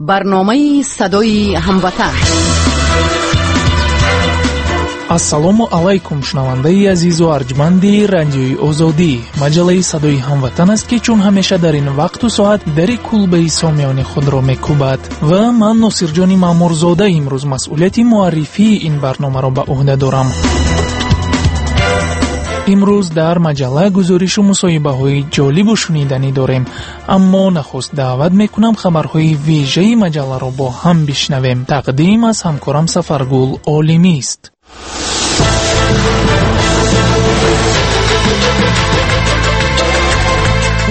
Барномаи садои ҳамватан. Ассалому алайкум, шунавандаи азизу арҷманди Радиои Озодӣ. Маҷаллаи Садои ҳамватан аст, ки чун ҳамеша дар ин вақту соат дари кулбаи сомиёни худро мекӯбад. Ва ман, Носирҷони Маъмурзода, имрӯз масъулияти муаррифии ин барномаро ба ӯҳда дорам. Имрӯз дар маҷалла гузоришу мусоҳибаҳои ҷолибу шуниданӣ дорем, аммо нахуст даъват мекунам хабарҳои вежаи маҷалларо бо ҳам бишнавем. Тақдим аз ҳамкорам Сафаргул Олимист.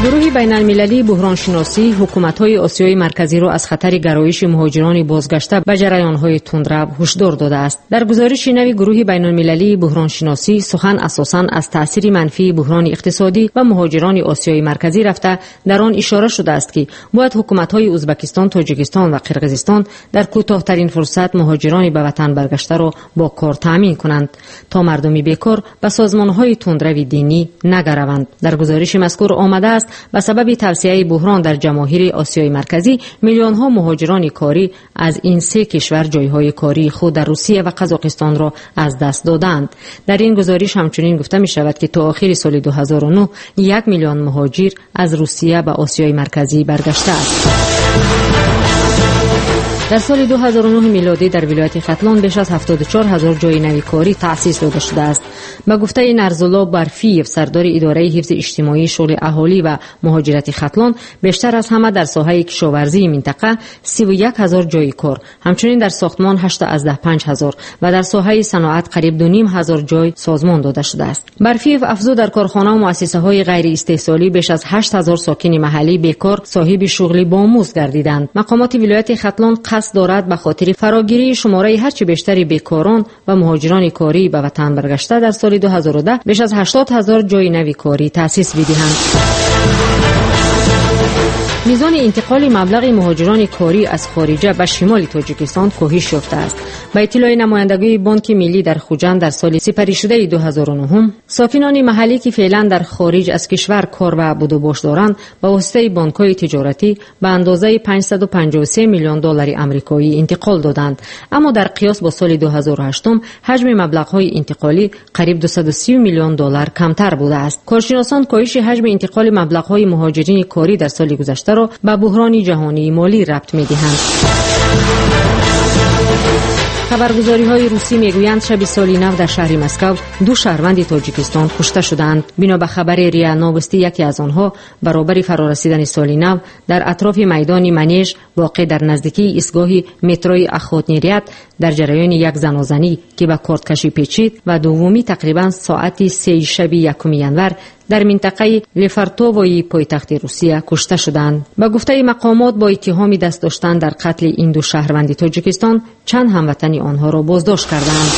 Гурӯҳи байналмилалии буҳроншиносӣ ҳукуматҳои Осиёи Марказиро аз хатари гароиши муҳоҷирони бозгашта ба ҷараёнҳои тундрав ҳушдор додааст. Дар гузориши нави гурӯҳи байналмилалии буҳроншиносӣ сухан асосан аз таъсири манфии буҳрони иқтисодӣ ва муҳоҷирони Осиёи Марказӣ рафта, дар он ишора шудааст, ки бояд ҳукуматҳои Узбакистон, Тоҷикистон ва Қирғизистон дар кӯтоҳтарин фурсат муҳоҷирони ба ватан баргаштаро бо кор таъмин кунанд, то мардуми бекор ба созмонҳои тундрави динӣ нагараванд. Дар гузориши мазкур омадааст, ба сабаби тавсеаи буҳрон дар ҷамоҳири Осиёи Марказӣ миллионҳо муҳоҷирони корӣ аз ин се кишвар ҷойҳои кории худ дар Русия ва Қазоқистонро аз даст додаанд. Дар ин гузориш ҳамчунин гуфта мешавад, ки то охири соли 2009 1 миллион муҳоҷир аз Русия ба Осиёи Марказӣ баргаштааст. Дар соли 2009 милодӣ дар вилояти Хатлон беш аз 74 ҳазор ҷойи нави корӣ таъсис дода шудааст. Ба гуфтаи Нарзулло Барфиев, сардори идораи ҳифзи иҷтимоии шуғли аҳолӣ ва муҳоҷирати Хатлон, бештар аз ҳама дар соҳаи кишоварзии минтақа 31 ҳазор ҷойи кор, ҳамчунин дар сохтмон 8,5 ҳазор ва дар соҳаи саноат қариб 2,5 ҳазор ҷой созмон дода шудааст. Барфиев афзуд, дар корхонаву муассисаҳои ғайриистеҳсолӣ беш аз 8 ҳазор сокини маҳаллӣ бекор соҳиби шуғли бомузд гардиданд. Мақомоти вилояти Хатлон қасд дорад ба хотири фарогирии шумораи ҳарчи бештари бекорон ва муҳоҷирони корӣ ба ватан баргашта дар соли 2010 беш аз 80 ҳазор ҷойи нави корӣ таъсис бидиҳанд. Мизони интиқоли маблағи муҳоҷирони корӣ аз хориҷа ба шимоли Тоҷикистон коҳиш ёфтааст. Ба иттилои намояндагии Бонки Миллӣ дар Хуҷанд, дар соли сипаришудаи 2009 сокинони маҳаллӣ, ки феълан дар хориҷ аз кишвар кор ва будубош доранд, ба воситаи бонкҳои тиҷоратӣ ба андозаи 553 миллион доллари амрикоӣ интиқол доданд. Аммо дар қиёс бо соли 2008 ҳаҷми маблағҳои интиқолӣ қариб 230 миллион доллар камтар будааст. Коршиносон коҳиши ҳаҷми интиқоли маблағҳои муҳоҷирини корӣ дар соли гузашта ба буҳрони ҷаҳонии молӣ рабт медиҳанд. Хабаргузориҳои русӣ мегӯянд, шаби соли нав дар шаҳри Москав ду шаҳрванди Тоҷикистон кушта шудаанд. Бино ба хабари РИА Новости, яке аз онҳо баробари фарорасидани соли нав дар атрофи майдони Манеж, воқеъ дар наздикии истгоҳи метрои Охотный Ряд, дар ҷараёни як занозанӣ, ки ба корткашӣ печид, ва дуввумӣ тақрибан соати 3 шаби 1 январ дар минтақаи Лефортовои пойтахти Русия кушта шуданд. Ба гуфтаи мақомот, бо иттиҳоми даст доштан дар қатли ин ду шаҳрванди Тоҷикистон чанд ҳамватани онҳоро боздошт карданд.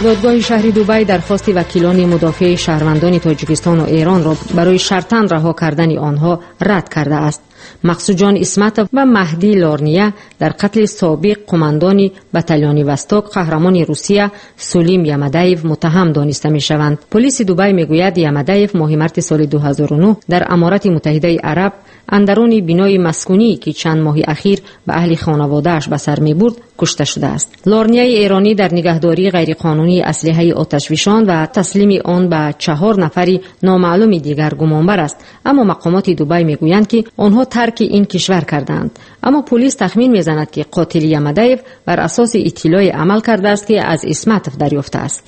Додгоҳи шаҳри Дубай дархости вакилони мудофеи шаҳрвандони Тоҷикистону Эронро барои шартан раҳо кардани онҳо рад кардааст. Мақсудҷон Исматов ва Маҳдӣ Лорния дар қатли собиқ қумандони батальони Восток, қаҳрамони Русия Сулим Ямадаев муттаҳам дониста мешаванд. Полиси Дубай мегӯяд, Ямадаев моҳи марти соли 2009 дар Аморати Муттаҳидаи Араб андарони бинои маскунӣ, ки чанд моҳи ахир ба аҳли хонаводааш ба сар мебурд, кушта шудааст. Лорнияи эронӣ дар нигаҳдории ғайриқонунии аслиҳаи оташфишон ва таслими он ба 4 нафари номаълуми дигар гумонбар аст, аммо мақомоти Дубай мегӯянд, ки онҳо тарки ин кишвар кардаанд. Аммо полис тахмин мезанад, ки қотили Ямадаев бар асоси иттилоъе амал кардааст, ки аз Исматов дарёфтааст.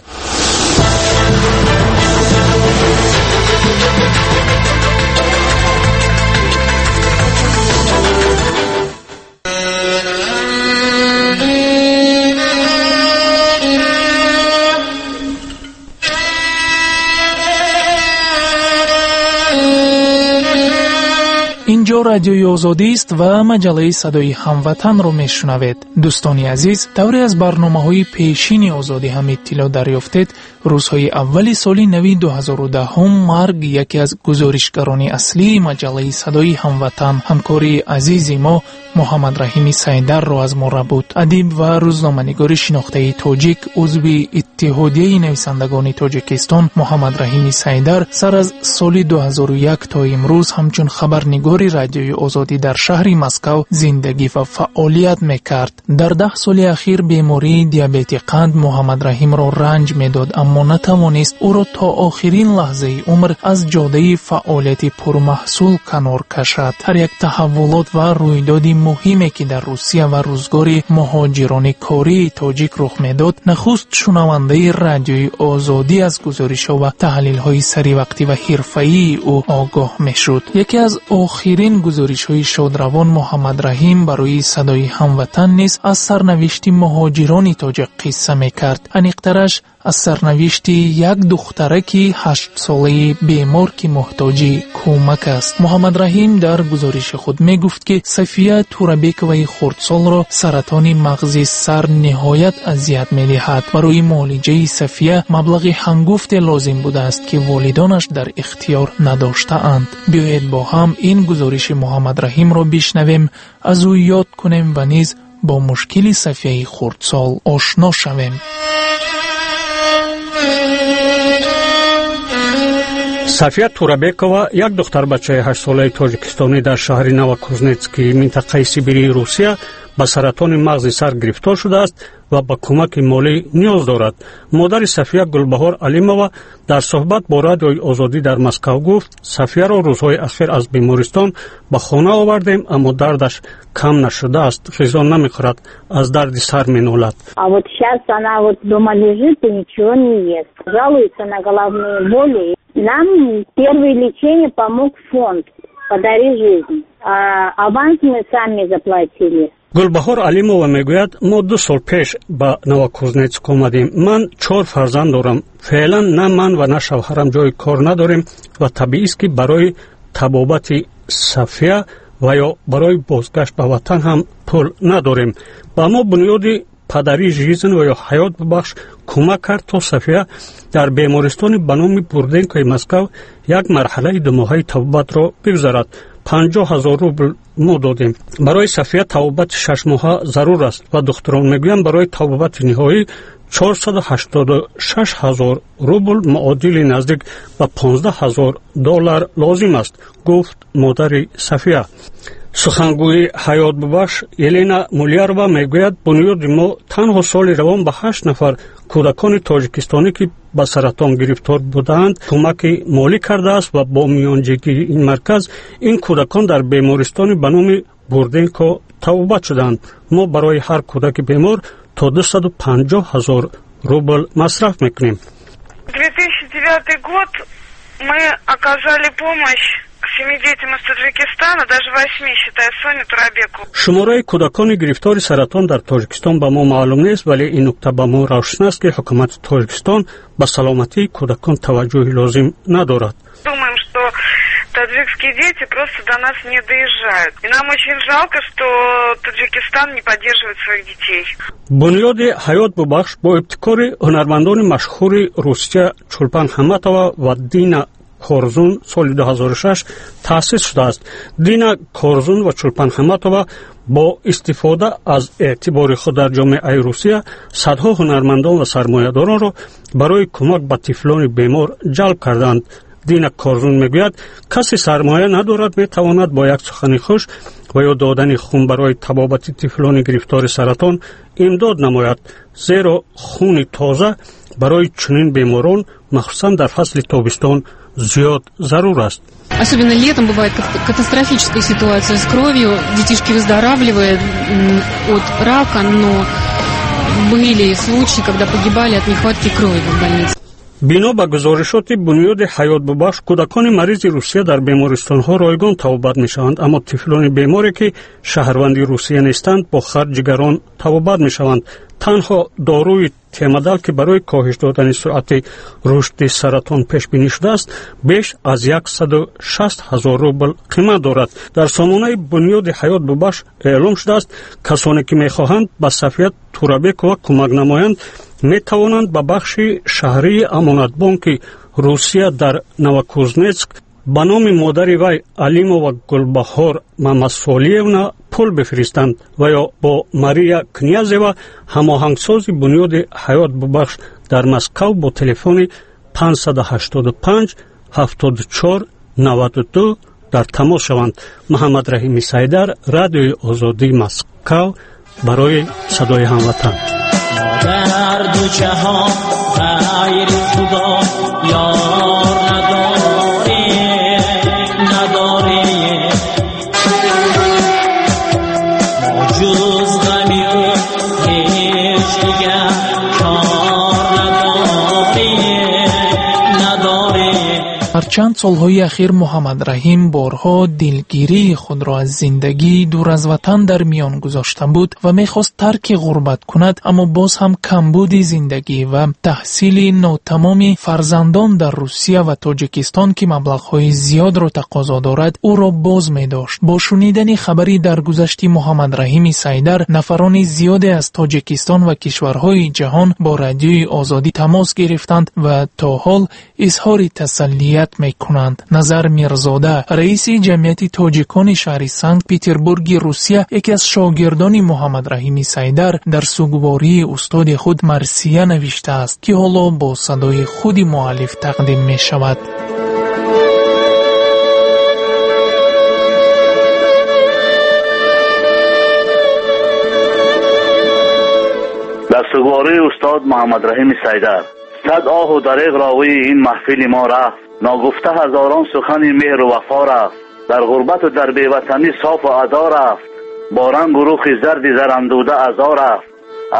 Инҷо Радиои Озодист ва маҷаллаи Садои ҳамватанро мешунавед. Дӯстони азиз, тавре аз барномаҳои пешини Озодӣ ҳам иттилоъ дарёфтед, рӯзҳои аввали соли нави 2010 марг яке аз гузоришгарони аслии маҷаллаи Садои ҳамватан, ҳамкори азизи мо Муҳаммадраҳими Сайдарро аз мо рабуд. Адиб ва рӯзноманигори шинохтаи тоҷик, узви Иттиҳодияи нависандагони Тоҷикистон Муҳаммадраҳими Сайдар сар аз соли 2001 то имрӯз ҳамчун хабарнигори радиои Радиои Озодӣ дар шаҳри Москав зиндагӣ ва фаъолият мекард. Дар 10 соли ахир бемории диабети қанд Муҳаммадраҳимро ранҷ медод, аммо натавонист ӯро то охирин лаҳзаи умр аз ҷодаи фаъолияти пурмаҳсул канор кашад. Ҳар як таҳаввулот ва рӯйдоди муҳиме, ки дар Русия ва рӯзгори муҳоҷирони кории тоҷик рух медод, нахуст шунавандаи Радиои Озодӣ аз гузоришҳо ва таҳлилҳои саривақтӣ ва ҳирфаии ӯ огоҳ мешуд. Яке аз охирин гузоришҳои шодравон Муҳаммадраҳим барои Садои Ҳамватан низ аз сарнавишти муҳоҷирони тоҷик қисса мекард. Аниқтараш аз сарнавишти як духтараки 8-солаи бемор, ки муҳтоҷи кӯмак аст. Муҳаммадраҳим дар гузориши худ мегуфт, ки Сафия Турабековаи хурдсолро саратони мағзи сар ниҳоят азият медиҳад. Барои муолиҷаи Сафия маблағи ҳангуфте лозим будааст, ки волидонаш дар ихтиёр надоштаанд. Биёед бо ҳам ин гузориши Муҳаммадраҳимро бишнавем, аз ӯ ёд кунем ва низ бо мушкили Сафияи хурдсол ошно шавем. Сафия Турабекова, як духтарбачаи 8-солаи тоҷикистонӣ дар шаҳри Новокузнецки минтақаи Сибирии Русия ба саратони мағзи сар гирифтор шудааст ва ба кӯмаки молӣ ниёз дорад. Модари Сафия Гулбаҳор Алимова дар суҳбат бо Радиои Озодӣ дар Москав гуфт: Сафияро рӯзҳои ахир аз бемористон ба хона овардем, аммо дардаш кам нашудааст, ғизо намехӯрад, аз дарди сар менолад. А вот сейчас она вот дома лежит и ничего не ест. Жалуется на головные боли. Нам первое лечение помог фонд «Подари жизнь». А аванс мы сами заплатили. Гулбаҳор Алимова мегӯяд: мо 2 сол пеш ба Новокузнецк омадем. Ман 4 фарзанд дорам. Феълан на ман ва на шавҳарам ҷои кор надорем ва табиист, ки барои табобати Сафия ва ё барои бозгашт ба ватан ҳам пул надорем. Ба мо бунёди «Подари жизнь» ва ё «Ҳаёт бубахш» кӯмак кард, то Сафия дар бемористони ба номи Бурденкои Москав як марҳалаи 2-моҳаи табобатро бигузарад. 50 000 рубл мо додем. Барои Сафия табобати 6 моҳа зарур аст ва духтурон мегӯянд, барои табобати ниҳоӣ 486 000 рубл, муодили наздик ба 15 000 доллар лозим аст, гуфт модари Сафия. Сухангӯи «Ҳаётбубахш» Елена Мулярова мегӯяд: бунёди мо танҳо соли равон ба 8 нафар кӯдакони тоҷикистонӣ, ки ба саратон гирифтор будаанд, кӯмаки молӣ кардааст ва бо миёнҷигии ин марказ ин кӯдакон дар бемористони ба номи Бурденко табобат шуданд. Мо барои ҳар кӯдаки бемор то 250 000 рубл масраф мекунем. 2009 год мы оказали помощь 7 детям из Таджикистана, даже 8, считая Соню Турабекову. Шумораи кӯдакони гирифтори саратон дар Тоҷикистон ба мо маълум нест, вале ин нукта ба мо равшан аст, ки ҳукумати Тоҷикистон ба саломатии кӯдакон таваҷҷӯҳи лозим надорад. Думаем, что таджикские дети просто до нас не доезжают. И нам очень жалко, что Таджикистан не поддерживает своих детей. Бунёди «Ҳаёт бубахш» бо ибтикори ҳунармандони машҳури Русия Чулпан Ҳаматова ва Дина Корзун соли 2006 таъсис шудааст. Дина Корзун ва Чулпан Ҳаматова бо истифода аз эътибори худ дар ҷомеаи Русия садҳо ҳунармандон ва сармоядоронро барои кӯмак ба тифлони бемор ҷалб карданд. Дина Корзун мегӯяд, касе сармоя надорад, метавонад бо як сухани хуш ва ё додани хун барои табобати тифлони гирифтори саратон имдод намояд, зеро хуни тоза барои чунин беморон, махсусан дар фасли тобистон, зиёд зарур аст. Особенно летом бывает катастрофическая ситуация с кровью. Детишки выздоравливают от рака, но были случаи, когда погибали от нехватки крови в больнице. Бино ба гузоришоти бунёди «Ҳаётбубахш», кӯдакони маризи Русия дар бемористонҳо ройгон табобат мешаванд, аммо тифлони беморе, ки шаҳрванди Русия нестанд, бо харҷи гарон табобат мешаванд. Танҳо доруи Темадал, ки барои коҳиш додани суръати рушди саратон пешбинӣ шудааст, беш аз 160 000 рубл қимат дорад. Дар сомонаи бунёди «Ҳаёт бубахш» эълом шудааст, касоне ки мехоҳанд ба Сафия Турабекова кӯмак намоянд, метавонанд ба бахши шаҳрии Амонатбонки Русия дар Новокузнецк ба номи модари вай Алимова Гулбаҳор Мамасолиевна пул бифиристанд ва ё бо Мария Князева, ҳамоҳангсози бунёди «Ҳаёт бубахш» дар Москав, бо телефони 585 74 92. Дар тамос шаванд. Муҳаммадраҳими Сайдар, Радиои Озодӣ, Москав, барои Садои Ҳамватан. Дар ду ҷаҳон ғайри Худо ёр надорем, надорем. Мо ҷуз ғами ӯ ҳеҷ дигар кор надорем, надорем. Ҳарчанд солҳои ахир Муҳаммадраҳим борҳо дилгирии худро аз зиндагии дур аз ватан дар миён гузошта буд ва мехост тарки ғурбат кунад, аммо боз ҳам камбуди зиндагӣ ва таҳсили нотамоми фарзандон дар Русия ва Тоҷикистон, ки маблағҳои зиёдро тақозо дорад, ӯро боз медошт. Бо шунидани хабари даргузашти Муҳаммадраҳими Сайдар, нафарони зиёде аз Тоҷикистон ва кишварҳои ҷаҳон бо Радиои Озодӣ тамос гирифтанд ва то ҳол изҳори тасаллият мекунанд. Назар Мирзода, раиси ҷамъияти тоҷикони шаҳри Санкт-Петербурги Русия, яке аз шогирдони Муҳаммадраҳими Сайдар, дар сугвории устоди худ марсия навиштааст, ки ҳоло бо садои худи муаллиф тақдим мешавад. Дар сугвории устод Муҳаммадраҳими Сайдар сад оҳу дареғ ровии ин маҳфили мо рафт, ногуфта ҳазорон сухани меҳру вафо рафт, дар ғурбату дар беватанӣ софу адо рафт, бо рангу рухи зарди зарандуда азо рафт,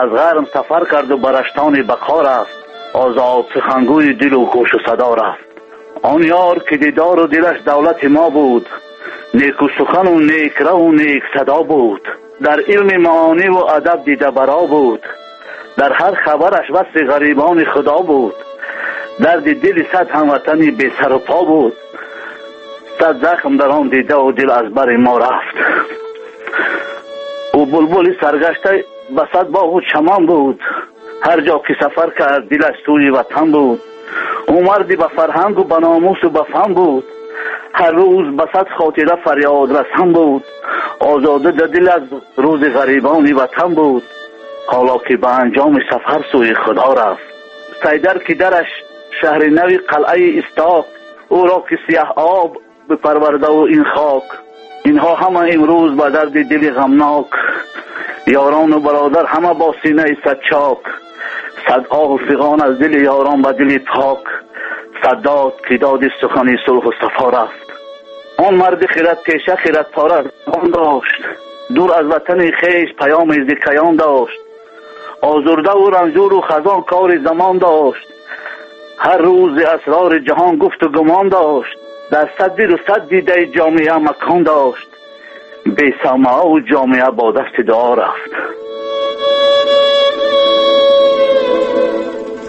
аз ғарм сафар карду ба раштони бақо рафт, озод сухангӯи дилу гӯшу садо рафт. Он ёр ки дидору дилаш давлати мо буд, неку сухану некраву нек садо буд, дар илми маониву адаб дидабаро буд, дар ҳар хабараш васфи ғарибони худо буд, дарди дили сад ҳамватани бесару по буд, сад захм дар он дидаву дил аз бари мо рафт. Ӯ булбули саргашта ба сад боғу чаман буд, ҳар ҷо ки сафар кард дилаш сӯи ватан буд, ӯ марди ба фарҳангу ба номусу ба фан буд, ҳар рӯз ба сад хотира фарёдрасан буд, озода да дил аз рӯзи ғарибони ватан буд, ҳоло ки ба анҷоми сафар сӯи худо рафт. Сайдар ки дараш шаҳри нави қалъаи Исток, ӯро ки сиёҳ об бипарвардаву ин хок, инҳо ҳама имрӯз ба дарди дили ғамнок, ёрону бародар ҳама бо синаи садчок, сад оҳу фиғон аз дили ёрон ба дили пок, сад дод ки доди сухани сулҳу сафо рафт. Он марди хиратпеша хиратпора забон дошт, дур аз ватани хеш паёми зикаён дошт, озурдаву ранҷуру хазон кори замон дошт, ҳар рӯзи асрори ҷаҳон гуфту гумон дошт, дар сад дилу сад дидаи ҷомеа макон дошт, бесамааву ҷомеа бо дасти дуо рафт.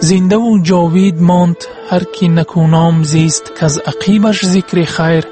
Зиндаву ҷовид монд ҳар ки накӯном зист, каз ақибаш зикри хайр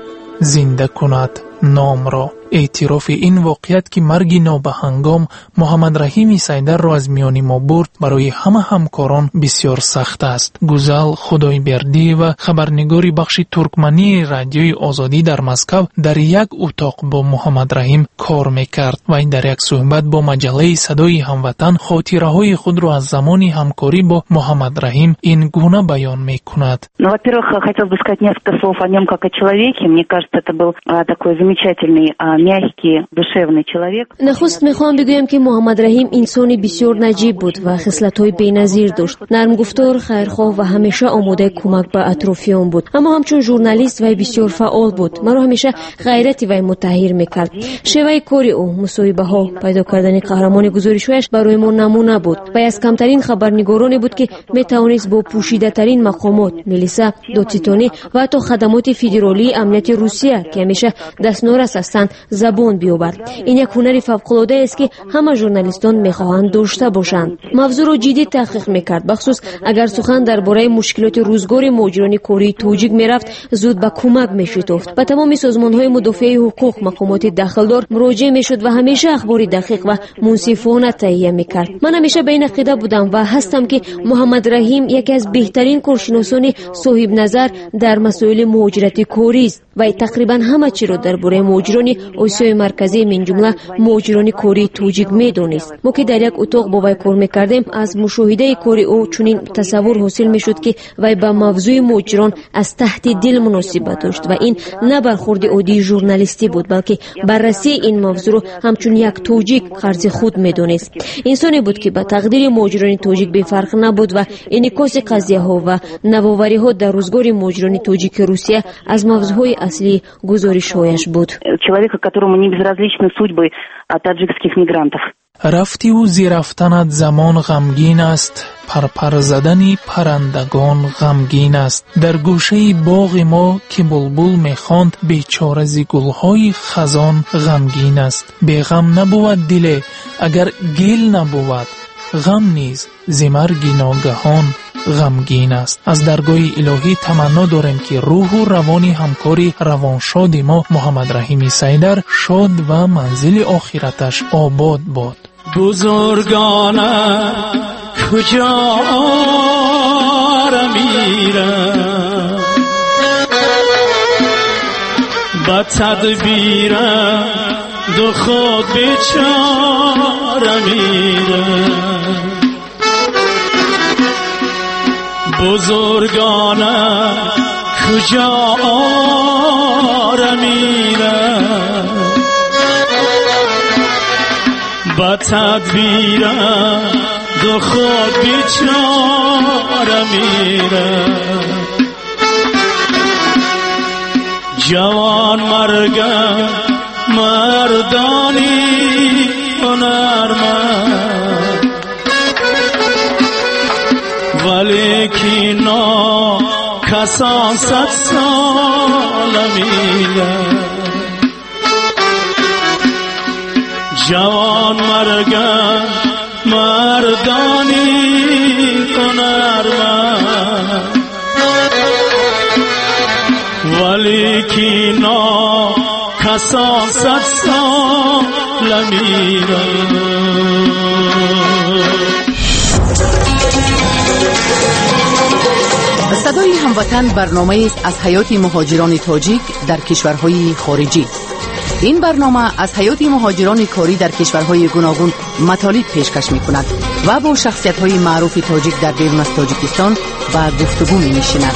зинда кунад номро. Эътирофи ин воқеият, ки марги нобаҳангом Муҳаммадраҳими Сайдарро аз миёни мо бурд, барои ҳама ҳамкорон бисёр сахт аст. Гузал Худойбердиева, хабарнигори бахши туркмании Радиои Озодӣ дар Москав, дар як утоқ бо Муҳаммадраҳим кор мекард. Вай дар як суҳбат бо маҷаллаи Садои Ҳамватан хотираҳои худро аз замони ҳамкорӣ бо Муҳаммадраҳим ин гуна баён мекунад. Ну, во-первых, хотелось бы сказать несколько слов о нем как о человеке. Мне кажется, это был такой замечательный, мягкий, душевный человек. Нахуст мехоҳам бигӯям, ки Муҳаммадраҳим инсони бисёр наҷиб буд ва хислатҳои беназир дошт. Нармгуфтор, хайрхоҳ ва ҳамеша омодаи кӯмак ба атрофиён буд. Аммо ҳамчун журналист вай бисёр фаъол буд. Маро ҳамеша ғайрати вай муттаҳир мекард. Шеваи кори ӯ, мусоҳибаҳо, пайдо кардани қаҳрамони гузоришҳояш барои мо намуна буд. Вай аз камтарин хабарнигороне буд, ки метавонист бо пӯшидатарин мақомот, милиса, додситонӣ ва ҳатто хадамоти федералии амнияти Русия, ки ҳамеша дастнорас ҳастанд, забон биёбад. Ин як ҳунари фавқулодаест, ки ҳама журналистон мехоҳанд дошта бошанд. Мавзӯъро ҷиддӣ таҳқиқ мекард, бахусус агар сухан дар бораи мушкилоти рӯзгори муҳоҷирони кории тоҷик мерафт, зуд ба кӯмак мешитофт. Ба тамоми созмонҳои мудофиаи ҳуқуқ, мақомоти дахлдор муроҷиа мешуд ва ҳамеша ахбори дақиқ ва мунсифона таҳия мекард. Ман ҳамеша ба ин ақида будам ва ҳастам, ки Муҳаммадраҳим яке аз беҳтарин коршиносони соҳибназар дар масоили муҳоҷирати корист. Вай тақрибан ҳама чиро дар бораи муҳоҷирони Осиёи Марказӣ, минҷумла муҳоҷирони кории тоҷик медонист. Мо ки дар як утоқ бо вай кор мекардем, аз мушоҳидаи кори ӯ чунин тасаввур ҳосил мешуд, ки вай ба мавзӯи муҳоҷирон аз таҳти дил муносибат дошт ва ин на бархурди оддии журналистӣ буд, балки баррасии ин мавзӯъро ҳамчун як тоҷик қарзи худ медонист. Инсоне буд, ки ба тақдири муҳоҷирони тоҷик бефарқ набуд ва инъикоси қазияҳо ва навовариҳо дар рӯзгори муҳоҷирони тоҷики Русия аз мавзӯъҳои аслии гузоришҳояш буд. Человека, которому не безразличны судьбы таджикских мигрантов. Рафтиву зи рафтанат замон ғамгин аст, парпар задани паррандагон ғамгин аст. Дар гӯшаи боғи мо ки булбул мехонд, бечора зи гулҳои хазон ғамгин аст. Беғам набувад диле, агар гил набувад, ғам низ зи марги ногаҳон ғамгин аст. Аз даргоҳи илоҳӣ таманно дорем, ки рӯҳу равони ҳамкори равоншоди мо Муҳаммадраҳими Сайдар шод ва манзили охираташ обод бод. Бузургона куҷо мирам, ба тадбирам ду худ бечора мирам. Бузургона куҷо мирам, ба тадбирам ду худ бечора мирам. Ҷавон маргам мардони ҳунарманд, валекин нокасон сад сола миранд. Ҷавон маргам мардони ҳунарманд, валекин нокасон сад сола миранд. Садои ҳамватан барномаест аз ҳаёти муҳоҷирони тоҷик дар кишварҳои хориҷӣ. Ин барнома аз ҳаёти муҳоҷирони корӣ дар кишварҳои гуногун матолиб пешкаш мекунад ва бо шахсиятҳои маъруфи тоҷик дар берун аз Тоҷикистон ба гуфтугӯ менишинад.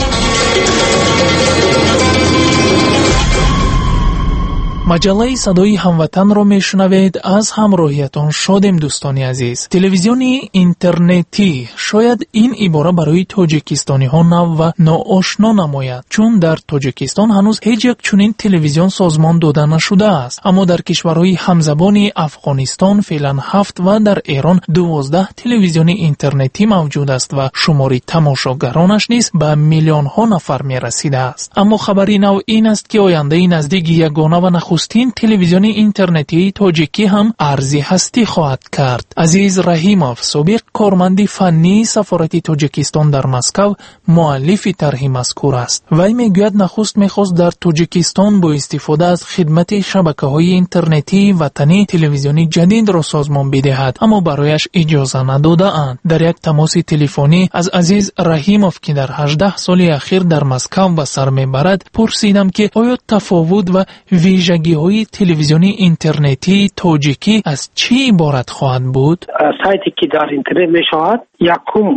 Маҷаллаи садои ҳамватанро мешунавед. Аз ҳамроҳиятон шодем, дӯстони азиз. Телевизиони интернетӣ, шояд ин ибора барои тоҷикистониҳо нав ва ноошно намояд, чун дар Тоҷикистон ҳанӯз ҳеҷ як чунин телевизион созмон дода нашудааст. Аммо дар кишварҳои ҳамзабони Афғонистон феълан 7 ва дар Эрон 12 телевизиони интернетӣ мавҷуд аст ва шумори тамошогаронаш низ ба миллионҳо нафар мерасидааст. Аммо хабари нав ин аст, ки ояндаи наздик ягона ва нахустин телевизиони интернетии тоҷикӣ ҳам арзи ҳастӣ хоҳад кард. Азиз Раҳимов, собиқ корманди фаннии сафорати Тоҷикистон дар Москав, муаллифи тарҳи мазкур аст. Вай мегӯяд, нахуст мехост дар Тоҷикистон бо истифода аз хидмати шабакаҳои интернетии ватанӣ телевизиони ҷадидро созмон бидиҳад, аммо барояш иҷоза надодаанд. Дар як тамоси телефонӣ аз Азиз Раҳимов, ки дар 18 соли ахир дар Москав ба сар мебарад, пурсидам, ки оё тафовут ва вижагиҳои телевизиони интернетии тоҷикӣ аз чӣ иборат хоҳад буд? Сайте ки дар интернет мешавад, якум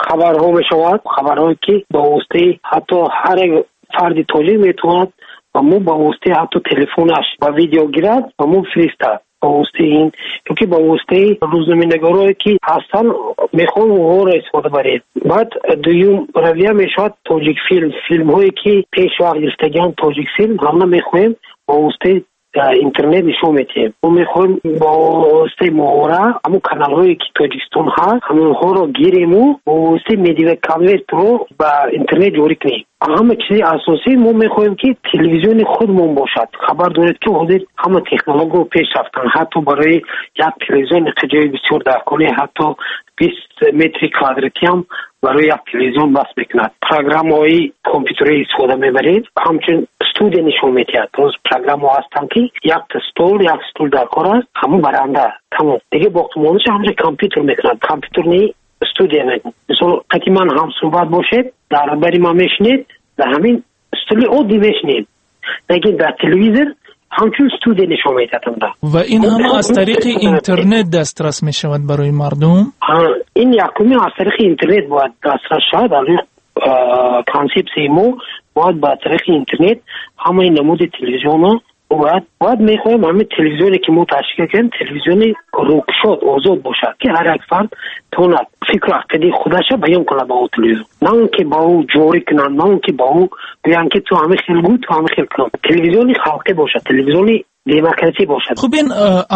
хабарҳо мешавад, хабарҳое ки ба воситаи ҳатто ҳар як фарди тоҷик метавонад ба мо ба воситаи ҳатто телефонаш ба видео гирад ва мо фиристад. Ба воситаи ин ёки ба воситаи рӯзноманигорое ки ҳастанд, мехоҳем онҳоро истифода барем. Баъд дуюм равия мешавад тоҷикфилм, филмҳое ки пеш вақт гирифтагианд тоҷикфилм, ҳама мехоҳем ба воситаи интернет нишон медиҳем. Мо мехоҳем бо воситаи моҳвора ҳамон каналҳое ки Тоҷикистон ҳаст, ҳамонҳоро гирему бо воситаи медиаконвертро ба интернет ҷорӣ кунем. Ҳама чизи асосӣ мо мехоҳем, ки телевизиони худмон бошад. Хабар доред, ки ҳозир ҳама технологияҳо пеш рафтанд. Ҳатто барои як телевизион ҷои бисёр даркорӣ, ҳатто 20 метри квадратӣ ҳам барои як телевизион бас мекунад. Программаҳои компютерӣ истифода мебарем, ҳамчун студия нишон медиҳад. Боз программаҳо ҳастанд, ки якта стол, як стул дар кор аст, ҳамон баранда тамом. Дига боқимондаша ҳамчун компютер мекунад. Компютерни студия мегӯям. Мисол, қати ман ҳамсӯҳбат бошед, дар бари ман мешинед, дар ҳамин стули оддӣ мешинем. Лекин дар телевизор ҳамчун студия нишон медиҳад. Ва ин ҳама аз тариқи интернет дастрас мешавад барои мардум? Ин якуми аз тариқи интернет бояд дастрас шавад. Консепсияи мо бояд ба тариқи интернет ҳамаи намуди телевизионро бояд мехоҳем ҳамин телевизионе ки мо ташкил кардем, телевизиони рӯкушод, озод бошад, ки ҳар як фард тавонад фикру ақидаи худаша баён кунад ба ӯ телевизион, на он ки ба ӯ ҷорӣ кунанд, на он ки ба ӯ гӯянд ки ту ҳамин хел гӯ, ту ҳамин хел кун. Телевизиони халқӣ бошад, телевизиони демократӣ бошад. Хуб, ин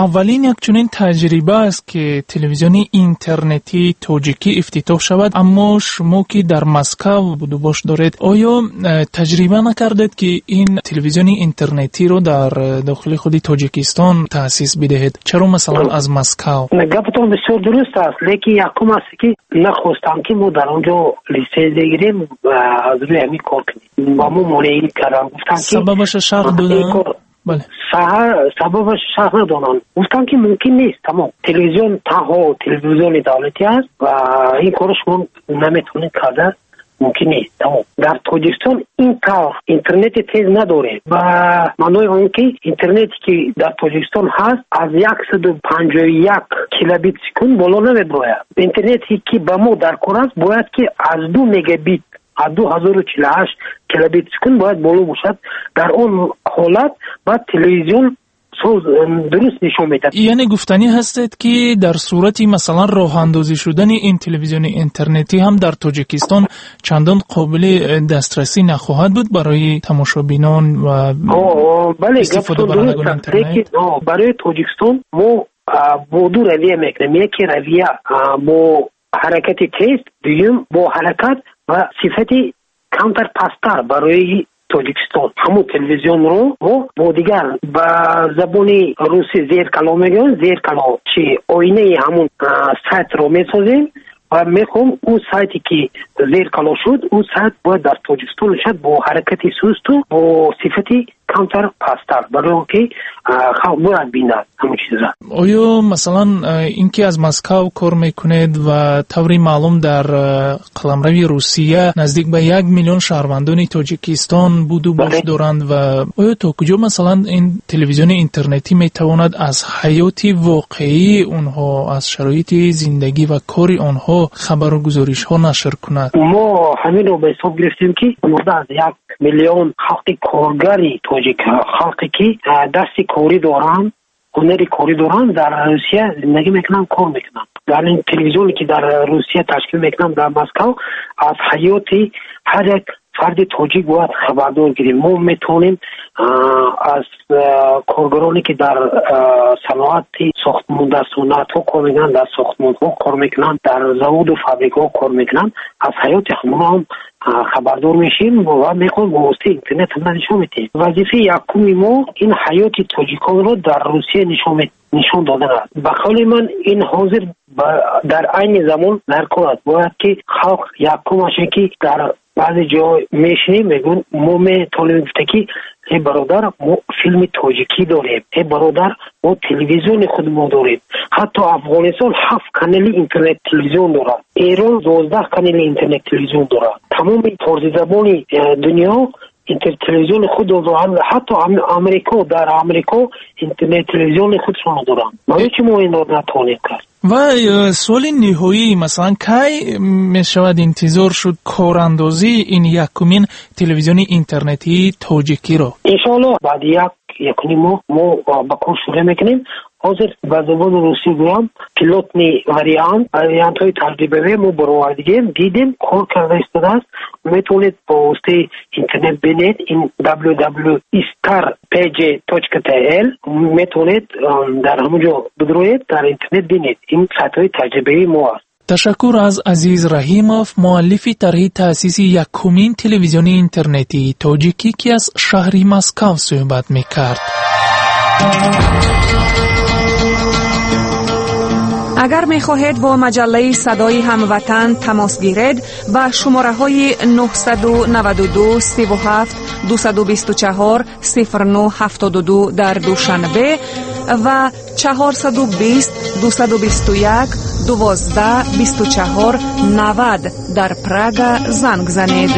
аввалин як чунин таҷриба аст ки телевизиони интернетии тоҷикӣ ифтитоҳ шавад, аммо шумо ки дар Москав будубош доред, оё таҷриба накардед ки ин телевизиони интернетиро дар дохили худи Тоҷикистон таъсис бидиҳед? Чаро масалан аз Москав? Гапатон бисёр дуруст аст, лекин якум аст ки нахостам ки мо дар он ҷо литсензия гирем ва аз рӯи ҳамин кор кунем. Ба мо монеӣ карданд, гуфтанд ки сабабаша шарҳ доданд? Бале. Сабабаш шарҳ надонанд. Гуфтанд ки мумкин нест, тамом. Телевизион танҳо телевизиони давлатӣ аст ва ин корро шумо наметавонед карда, мумкин нест, тамом. Дар Тоҷикистон ин тавр интернети тез надорем. Ба маънои он ки интернете ки дар Тоҷикистон ҳаст аз 151 килобит секунд боло намебарояд. Интернете ки ба мо дар кор аст бояд ки аз 2 мегабит, аз 2048 килобит секунд бояд боло бошад. Дар он ҳолат бояд телевизион дуруст нишон медиҳад. Яъне гуфтанӣ ҳастед ки дар сурати масалан роҳандозӣ шудани ин телевизиони интернетӣ ҳам дар Тоҷикистон чандон қобили дастрасӣ нахоҳад буд барои тамошобинон ва истифодабарандагони интернет? Барои Тоҷикистон мо бо ду равия мекунем. Яке равия бо ҳаракати тез, дуюм бо ҳаракат ва сифати камтар пасттар барои Тоҷикистон. Ҳамон телевизионро мо бо дигар ба забони русӣ зеркало мегӯянд, зеркало чи оинаи ҳамон сайтро месозем ва мехоҳем ӯ сайте ки зеркало шуд, ӯ сайт бояд дар Тоҷикистон шавад бо ҳаракати сусту бо сифати камтар пасттар, барои он ки халқ бояд бинад ҳамон чизро. Оё масалан ин ки аз Москав кор мекунед ва таври маълум дар қаламрави Русия наздик ба 1 миллион шаҳрвандони Тоҷикистон буду бош доранд ва оё то куҷо масалан ин телевизиони интернетӣ метавонад аз ҳаёти воқеии онҳо, аз шароити зиндагӣ ва кори онҳо хабару гузоришҳо нашр кунад? Мо ҳаминро ба ҳисоб гирифтем ки зиёда аз 1 миллион халқи коргари тоҷик, халқе ки дасти корӣ доранд, ҳунари корӣ доранд, дар Русия зиндагӣ мекунанд, кор мекунанд. Дар ин телевизионе ки дар Русия ташкил мекунанд, дар Москав, аз ҳаёти ҳар як фарди тоҷик бояд хабардор гирем. Мо метавонем аз коргароне ки дар саноати сохтмон, дар саноатҳо кор мекунанд, дар сохтмонҳо кор мекунанд, дар заводу фабрикаҳо кор мекунанд, аз ҳаёти ҳамонҳо ҳам хабардор мешем ва мехоҳем бо воситаи интернет ҳама нишон медиҳем. Вазифаи якуми мо ин ҳаёти тоҷиконро дар Русия нишон додан аст. Ба қавли ман ин ҳозир дар айни замон дар кор аст. Бояд ки халқ якумаш ки дар баъзе ҷо мешинем, мегӯем мо метавонем гуфта ки эй бародар, мо филми тоҷикӣ дорем, эй бародар, мо телевизиони худмо дорем. Ҳатто Афғонистон 7 канали интернет телевизион дорад, Эрон 12 канали интернет телевизион дорад. Тамоми форсизабони дунё интернет телевизиони худ доранд. Ҳатто Амрико, дар Амрико интернет телевизиони худшонро доранд. Барои чӣ мо инро натавонем кард? Ва суоли ниҳоӣ, масалан кай мешавад интизор шуд корандозии ин якумин телевизиони интернетии тоҷикиро? Иншоаллоҳ баъди 1.5 моҳ мо ба кор шурӯъ мекунем. Ҳозир ба забони русӣ гӯям, пилотни вариант, вариантҳои таҷрибавӣ мо баровардигем, дидем, кор карда истодааст. Метавонед бо воситаи интернет бинед, ин www.istarpg.tl метавонед дар ҳамон ҷо бидроед, дар интернет бинед. Ин сайтҳои таҷрибавии мо аст. Ташаккур аз Азиз Раҳимов, муаллифи тарҳи таъсиси якумин телевизиони интернетии тоҷикӣ, ки аз шаҳри Москав суҳбат мекард. Агар мехоҳед бо маҷаллаи Садои ҳамватан тамос гиред, ба шумораҳои 992 37 224 09 72 дар Душанбе ва 420 221 12 24 90 дар Прага занг занед.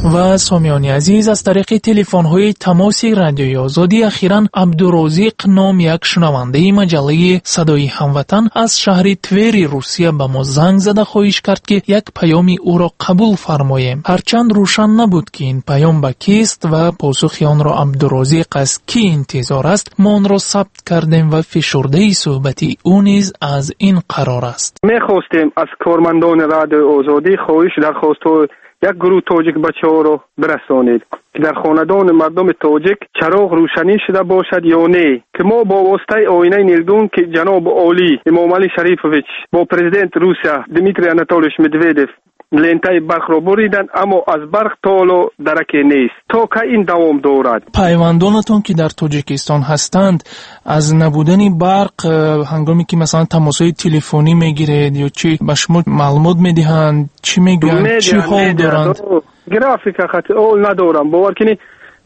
Ва сомиёни азиз, аз тариқи телефонҳои тамоси Радиои Озодӣ ахиран Абдурозиқ ном як шунавандаи маҷаллаи Садои ҳамватан аз шаҳри Твери Русия ба мо занг зада хоҳиш кард, ки як паёми ӯро қабул фармоем. Ҳарчанд рӯшан набуд, ки ин паём ба кист ва посухи онро Абдурозиқ аз кӣ интизор аст, мо онро сабт кардем ва фишурдаи суҳбати ӯ низ аз ин қарор аст. Мехостем аз кормандони Радиои Озодӣ хоҳиш дархостҳо як гурӯҳ тоҷик бачаҳоро бирасонед, ки дар хонадони мардуми тоҷик чароғ рӯшанӣ шуда бошад ё не, ки мо бо воситаи оинаи нилгун, ки ҷаноби олӣ Эмомалӣ Шарифович бо президент Русия Дмитрий Анатольевич Медведев лентаи барқро буриданд, аммо аз барқ то ҳоло дараке нест. То кай ин давом дорад? Пайвандонатон, ки дар Тоҷикистон ҳастанд, аз набудани барқ ҳангоме ки масалан тамосҳои телефонӣ мегиред ё чӣ, ба шумо маълумот медиҳанд? Чӣ мегӯянд? Чӣ ҳол доранд? Графика хати ол надорам, бовар кунед,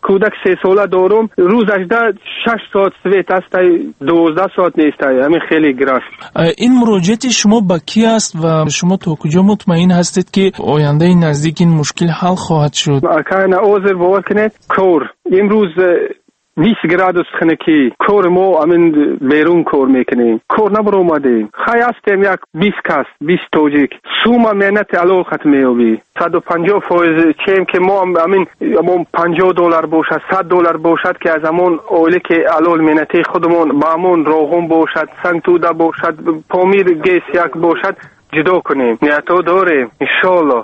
кӯдак 3 сола дорум, рӯзаш да 6 соат свет ҳастай, 12 соат нестай. Ҳамин хеле график. Ин муроҷиати шумо ба кӣ аст ва шумо то куҷо мутмаин ҳастед, ки ояндаи наздик ин мушкил ҳал хоҳад шуд? Акайна озир, бовар кунед, кор имрӯз 20 градус хунукӣ, кори мо ҳамин берун кор мекунем, кор набаромадем. Хай, ҳастем як 20 кас, 20 тоҷик. Сума меҳнати алол хат меёбӣ, 150% чем ки мо ҳамин ҳамон 50 доллар бошад, 100 доллар бошад, ки аз ҳамон оиле ки алол меҳнати худамон ба ҳамон роғун бошад, сангтуда бошад, Помир ГЭС як бошад, ҷудо кунем. Ниятҳо дорем, иншоалло,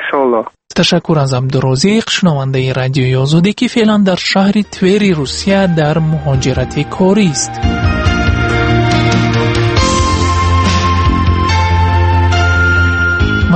иншоалло. Ташаккур аз Абдурозиқ, шунавандаи Радиои Озодӣ, ки феълан дар шаҳри Твери Русия дар муҳоҷирати корист.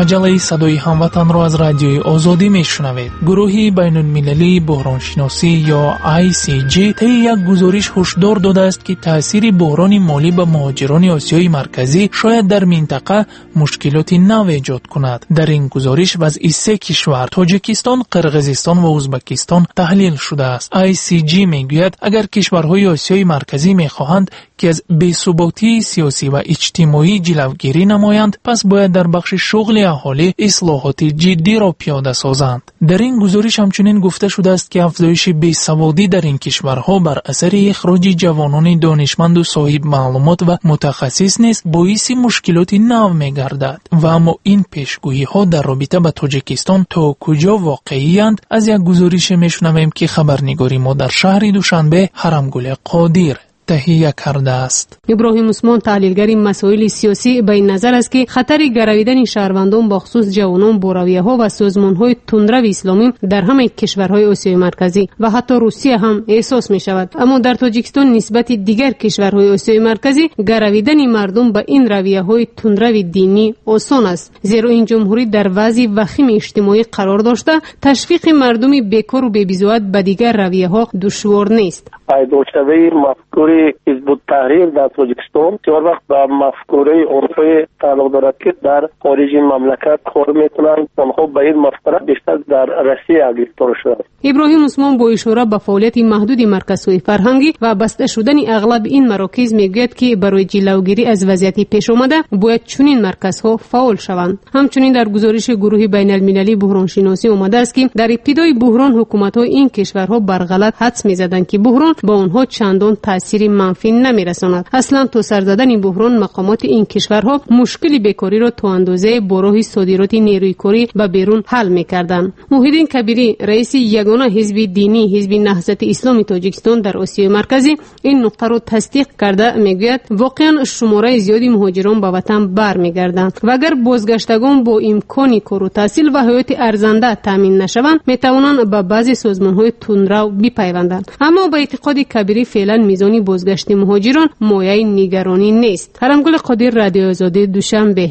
Маҷаллаи Садои ҳамватанро аз Радиои Озодӣ мешунавед. Гурӯҳи байнулмилалии буҳроншиносӣ ё ICG таи як гузориш ҳушдор додааст, ки таъсири буҳрони молӣ ба муҳоҷирони Осиёи Марказӣ шояд дар минтақа мушкилоти нав эҷод кунад. Дар ин гузориш вазъи се кишвар — Тоҷикистон, Қирғизистон ва Ӯзбекистон — таҳлил шудааст. ICG мегӯяд, агар кишварҳои Осиёи Марказӣ мехоҳанд, ки аз бесуботии сиёсӣ ва иҷтимоӣ ҷилавгирӣ намоянд, пас бояд дар бахши шуғли аҳолӣ ислоҳоти ҷиддиро пиёда созанд. Дар ин гузориш ҳамчунин гуфта шудааст, ки афзоиши бесаводӣ дар ин кишварҳо бар асари ихроҷи ҷавонони донишманду соҳибмаълумот ва мутахассис низ боиси мушкилоти нав мегардад. Ва аммо ин пешгӯиҳо дар робита ба Тоҷикистон то куҷо воқеиянд, аз як гузорише мешунавем, ки хабарнигори мо дар шаҳри Душанбе Ҳарамгули Қодир таҳия кардааст. Иброҳим Усмон, таҳлилгари масоили сиёсӣ, ба ин назар аст, ки хатари гаравидани шаҳрвандон, бахусус ҷавонон, бо равияҳо ва созмонҳои тундрави исломӣ дар ҳамаи кишварҳои Осиёи Марказӣ ва ҳатто Русия ҳам эҳсос мешавад. Аммо дар Тоҷикистон нисбати дигар кишварҳои Осиёи Марказӣ гаравидани мардум ба ин равияҳои тундрави динӣ осон аст, зеро ин ҷумҳурӣ дар вазъи вахими иҷтимоӣ қарор дошта, ташвиқи мардуми бекору бебизоат ба дигар равияҳо душвор нест. Пайдошавии мафкури Ҳизбуттаҳрир дар Тоҷикистон бисёр вақт ба мафкураи онҳое тааллуқ дорад, ки дар хориҷи мамлакат кор мекунанд. Онҳо ба ин мафкура бештар дар Россия гирифтор шуданд. Иброҳим Усмон бо ишора ба фаъолияти маҳдуди марказҳои фарҳангӣ ва баста шудани ағлаби ин марокиз мегӯяд, ки барои ҷилавгирӣ аз вазъияти пешомада бояд чунин марказҳо фаъол шаванд. Ҳамчунин дар гузориши гурӯҳи байналмилалии буҳроншиносӣ омадааст, ки дар ибтидои буҳрон ҳукуматҳои ин кишварҳо барғалат ҳадс мезаданд, ки буҳрон ба онҳо чандон таъсири манфӣ намерасонад. Аслан то сар задани буҳрон мақомоти ин кишварҳо мушкили бекориро то андозае бо роҳи содироти нерӯи корӣ ба берун ҳал мекарданд. Муҳиддин Кабирӣ, раиси ягона ҳизби динӣ, Ҳизби Наҳзати Исломи Тоҷикистон дар Осиёи Марказӣ, ин нуқтаро тасдиқ карда мегӯяд, воқеан шумораи зиёди муҳоҷирон ба ватан бармегарданд ва агар бозгаштагон бо имкони кору таҳсил ва ҳаёти арзанда таъмин нашаванд, метавонанд ба баъзе созмонҳои тундрав бипайванданд. Аммо ба эътиқоди Кабирӣ, феълан мизони бозгашти муҳоҷирон мояи нигаронӣ нест. Ҳарамгули Қодир, Радиои Озодӣ, Душанбе.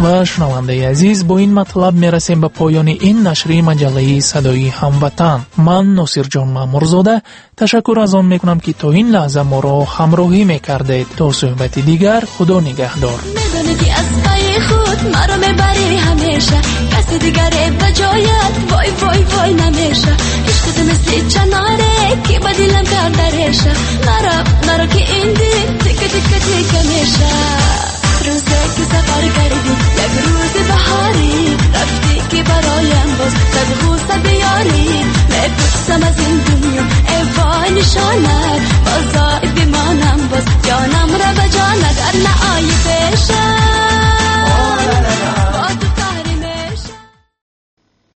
Ва шунавандаи азиз, бо ин матлаб мерасем ба поёни ин нашри маҷаллаи Садои ҳамватан. Ман, Носирҷон Маъмурзода, ташаккур аз он мекунам, ки то ин лаҳза моро ҳамроҳӣ мекардед. То суҳбати дигар, Худо нигаҳдор. Медонӣ, ки аз пайи худ маро мебарӣ ҳамеша, каси дигаре ба ҷоят, вой, вой, вой, намеша. Ишқи ту мисли чаноре, ки ба дилам карда реша. Наро, наро, ки ин дил тика тика тика меша. Рӯзе ки сафар кардӣ, як рӯзи баҳорӣ рафтӣ. бароям боз сад ғусса биёрӣ мепурсам аз ин дунё эй вой нишонат боз ои бимонам боз ҷонам ра ба ҷон агар наоӣ пешам.